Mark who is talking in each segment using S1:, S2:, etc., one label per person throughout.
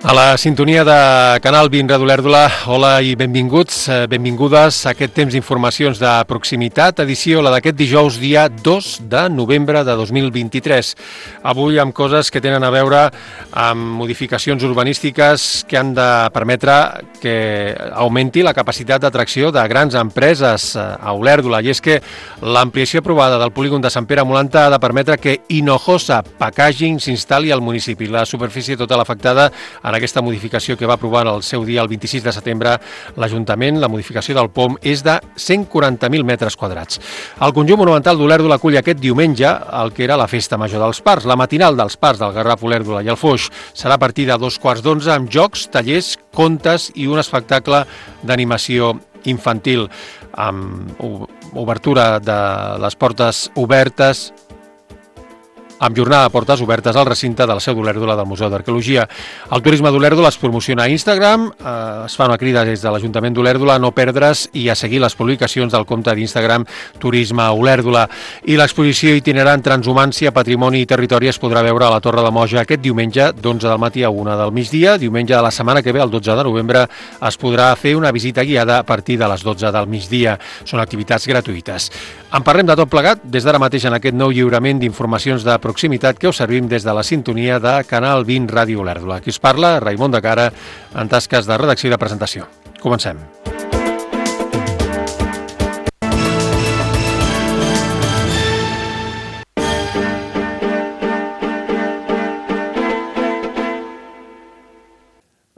S1: A la sintonia de Canal 20 Ràdio Olèrdola, hola i benvinguts, benvingudes a aquest temps d'informacions de proximitat, edició la d'aquest dijous, dia 2 de novembre de 2023. Avui amb coses que tenen a veure amb modificacions urbanístiques que han de permetre que augmenti la capacitat d'atracció de grans empreses a Olèrdola. I és que l'ampliació aprovada del polígon de Sant Pere Molanta ha de permetre que Hinojosa Packaging s'instal·li al municipi. La superfície total afectada en aquesta modificació que va aprovar el seu dia el 26 de setembre l'Ajuntament, la modificació del POM, és de 140.000 metres quadrats. El conjunt monumental d'Olèrdola acull aquest diumenge el que era la Festa Major dels Parcs. La matinal dels Parcs del Garraf, Olèrdola i el Foix serà a partir de 2:15 amb jocs, tallers, contes i un espectacle d'animació infantil amb obertura de les portes obertes, amb jornada de portes obertes al recinte de la seu d'Olèrdola del Museu d'Arqueologia. El turisme d'Olèrdola es promociona a Instagram, es fa una crida des de l'Ajuntament d'Olèrdola a no perdre's i a seguir les publicacions del compte d'Instagram Turisme Olèrdola. I l'exposició itinerant Transhumància, Patrimoni i Territori es podrà veure a la Torre de Moja aquest diumenge d'11 del matí a 1 del migdia. Diumenge de la setmana que ve, el 12 de novembre, es podrà fer una visita guiada a partir de les 12 del migdia. Són activitats gratuïtes. En parlem de tot plegat des d'ara mateix en aquest nou lliurament d'informacions de proximitat que us servim des de la sintonia de Canal 20 Ràdio Olèrdola. Aquí us parla Raimon de Cara en tasques de redacció i de presentació. Comencem.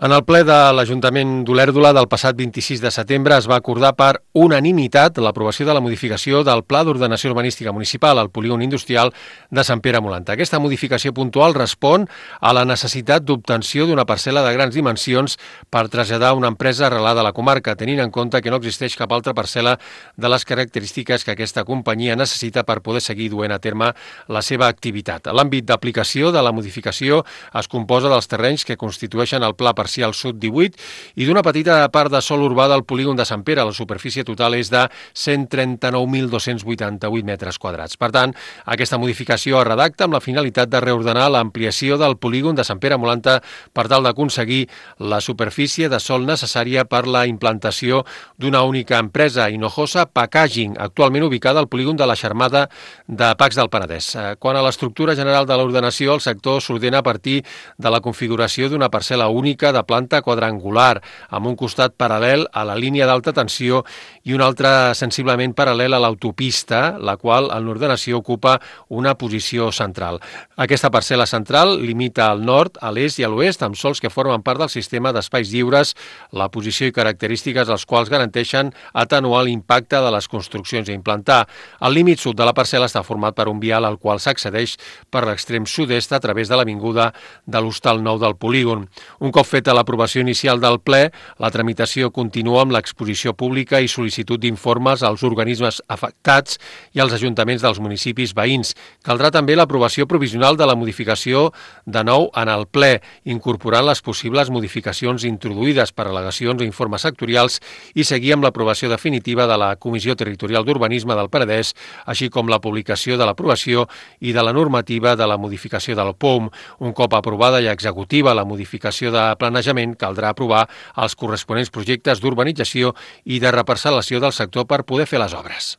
S1: En el ple de l'Ajuntament d'Olèrdola del passat 26 de setembre es va acordar per unanimitat l'aprovació de la modificació del Pla d'Ordenació Urbanística Municipal al polígon industrial de Sant Pere Molanta. Aquesta modificació puntual respon a la necessitat d'obtenció d'una parcel·la de grans dimensions per traslladar una empresa arrelada a la comarca, tenint en compte que no existeix cap altra parcel·la de les característiques que aquesta companyia necessita per poder seguir duent a terme la seva activitat. L'àmbit d'aplicació de la modificació es composa dels terrenys que constitueixen el Pla Parcial Sud 18 i d'una petita part de sòl urbà del polígon de Sant Pere. La superfície total és de 139.288 metres quadrats. Per tant, aquesta modificació es redacta amb la finalitat de reordenar l'ampliació del polígon de Sant Pere Molanta per tal d'aconseguir la superfície de sòl necessària per la implantació d'una única empresa, Hinojosa Packaging, actualment ubicada al polígon de la Xermada de Pacs del Penedès. Quant a l'estructura general de l'ordenació, el sector s'ordena a partir de la configuració d'una parcel·la única de planta quadrangular, amb un costat paral·lel a la línia d'alta tensió i un altre sensiblement paral·lel a l'autopista, la qual en l'ordenació ocupa una posició central. Aquesta parcel·la central limita al nord, a l'est i a l'oest amb sòls que formen part del sistema d'espais lliures, la posició i característiques dels quals garanteixen atenuar l'impacte de les construccions a implantar. El límit sud de la parcel·la està format per un vial al qual s'accedeix per l'extrem sud-est a través de l'avinguda de l'Hostal Nou del polígon. Un cop feta l'aprovació inicial del ple, la tramitació continua amb l'exposició pública i sol·licitud d'informes als organismes afectats i als ajuntaments dels municipis veïns. Caldrà també l'aprovació provisional de la modificació de nou en el ple, incorporant les possibles modificacions introduïdes per al·legacions o informes sectorials i seguir amb l'aprovació definitiva de la Comissió Territorial d'Urbanisme del Penedès, així com la publicació de l'aprovació i de la normativa de la modificació del POM. Un cop aprovada i executiva la modificació de planejament, caldrà aprovar els corresponents projectes d'urbanització i de reparcel·lació del sector per poder fer les obres.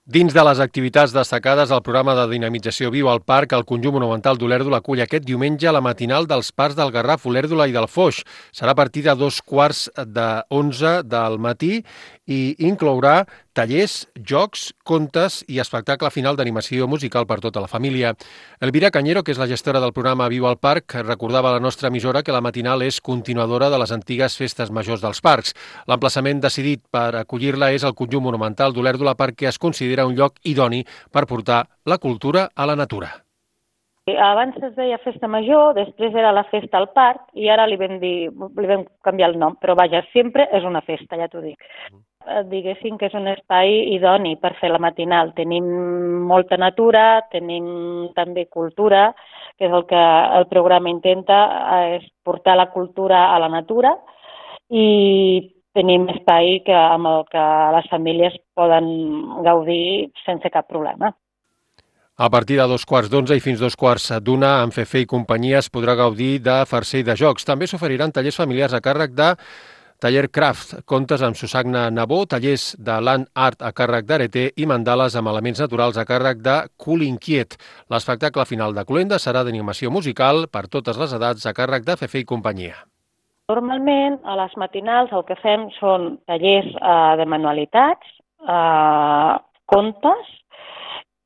S1: Dins de les activitats destacades del programa de dinamització Viu al Parc, el conjunt monumental d'Olèrdola acull aquest diumenge la matinal dels Parcs del Garraf, Olèrdola i del Foix. Serà a partir de 2:15 del matí i inclourà tallers, jocs, contes i espectacle final d'animació musical per tota la família. Elvira Cañero, que és la gestora del programa Viu al Parc, recordava a la nostra emissora que la matinal és continuadora de les antigues festes majors dels parcs. L'emplaçament decidit per acollir-la és el conjunt monumental d'Olèrdola perquè es considera un lloc idoni per portar la cultura a la natura.
S2: Abans es deia Festa Major, després era la Festa al Parc i ara li vam canviar el nom, però vaja, sempre és una festa, ja t'ho dic. Diguéssim que és un espai idoni per fer la matinal. Tenim molta natura, tenim també cultura, que és el que el programa intenta, és portar la cultura a la natura i tenim espai amb el que les famílies poden gaudir sense cap problema.
S1: A partir de 2:15 i fins 2:15, amb Fefe i companyia es podrà gaudir de farcer i de jocs. També s'oferiran tallers familiars a càrrec de Taller Craft, contes amb Susagna Nabó, tallers de Land Art a càrrec d'Areté i mandales amb elements naturals a càrrec de Cul Inquiet. L'espectacle final de Cluenda serà d'animació musical per totes les edats a càrrec de Fefe i companyia.
S2: Normalment, a les matinals el que fem són tallers de manualitats, contes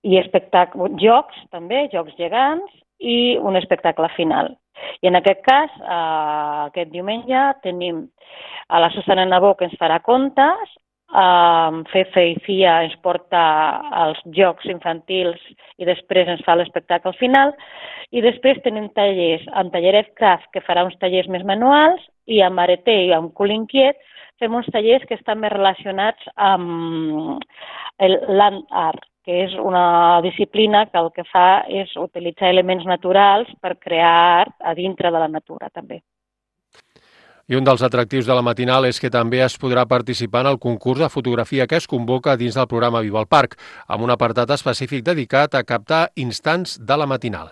S2: i jocs també, jocs gegants i un espectacle final. I en aquest cas, aquest diumenge, tenim a la Susana Nabó que ens farà contes, Fefe i Fia ens porta els jocs infantils i després ens fa l'espectacle final. I després tenim tallers amb Talleret Craft, que farà uns tallers més manuals, i amb Areté i amb Cul Inquiet fem uns tallers que estan més relacionats amb el Land Art, que és una disciplina que el que fa és utilitzar elements naturals per crear art a dintre de la natura, també.
S1: I un dels atractius de la matinal és que també es podrà participar en el concurs de fotografia que es convoca dins del programa Viva el Parc, amb un apartat específic dedicat a captar instants de la matinal.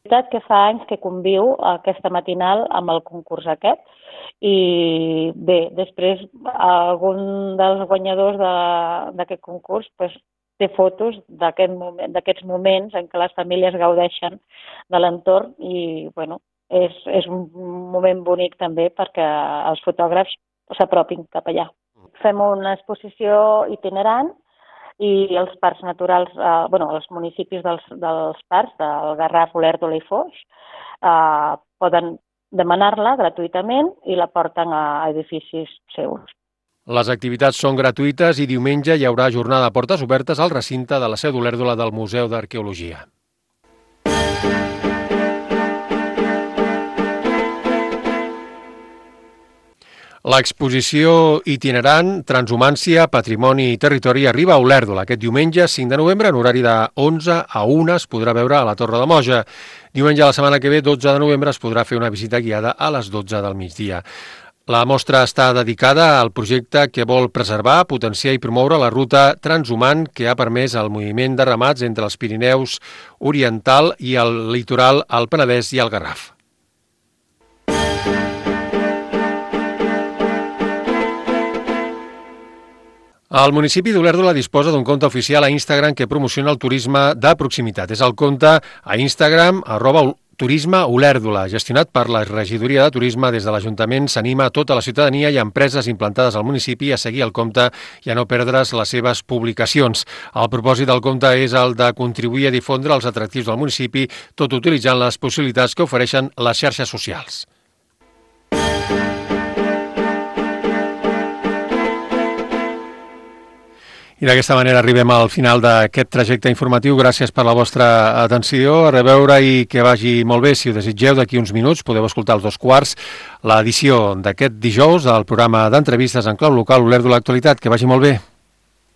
S2: És veritat que fa anys que conviu aquesta matinal amb el concurs aquest i bé, després algun dels guanyadors d'aquest concurs té fotos d'aquests moments en què les famílies gaudeixen de l'entorn i bueno, és un moment bonic també perquè els fotògrafs s'apropin cap allà. Fem una exposició itinerant i els parcs naturals, els municipis dels parcs, del Garraf, Olèrdola i Foix, poden demanar-la gratuïtament i la porten a edificis seus.
S1: Les activitats són gratuïtes i diumenge hi haurà jornada de portes obertes al recinte de la seu d'Olèrdola del Museu d'Arqueologia. L'exposició itinerant Transhumància, Patrimoni i Territori arriba a Olèrdola. Aquest diumenge, 5 de novembre, en horari de 11 a 1, es podrà veure a la Torre de Moja. Diumenge de la setmana que ve, 12 de novembre, es podrà fer una visita guiada a les 12 del migdia. La mostra està dedicada al projecte que vol preservar, potenciar i promoure la ruta transhumant que ha permès el moviment de ramats entre els Pirineus Oriental i el litoral, el Penedès i el Garraf. El municipi d'Olèrdola disposa d'un compte oficial a Instagram que promociona el turisme de proximitat. És el compte a Instagram @turismeolèrdola, gestionat per la regidoria de turisme. Des de l'Ajuntament s'anima a tota la ciutadania i empreses implantades al municipi a seguir el compte i a no perdre's les seves publicacions. El propòsit del compte és el de contribuir a difondre els atractius del municipi, tot utilitzant les possibilitats que ofereixen les xarxes socials. I d'aquesta manera arribem al final d'aquest trajecte informatiu. Gràcies per la vostra atenció. A reveure i que vagi molt bé. Si ho desitgeu, d'aquí uns minuts podeu escoltar als 2:15 l'edició d'aquest dijous del programa d'entrevistes en clau local Olèrdola Actualitat. Que vagi molt bé.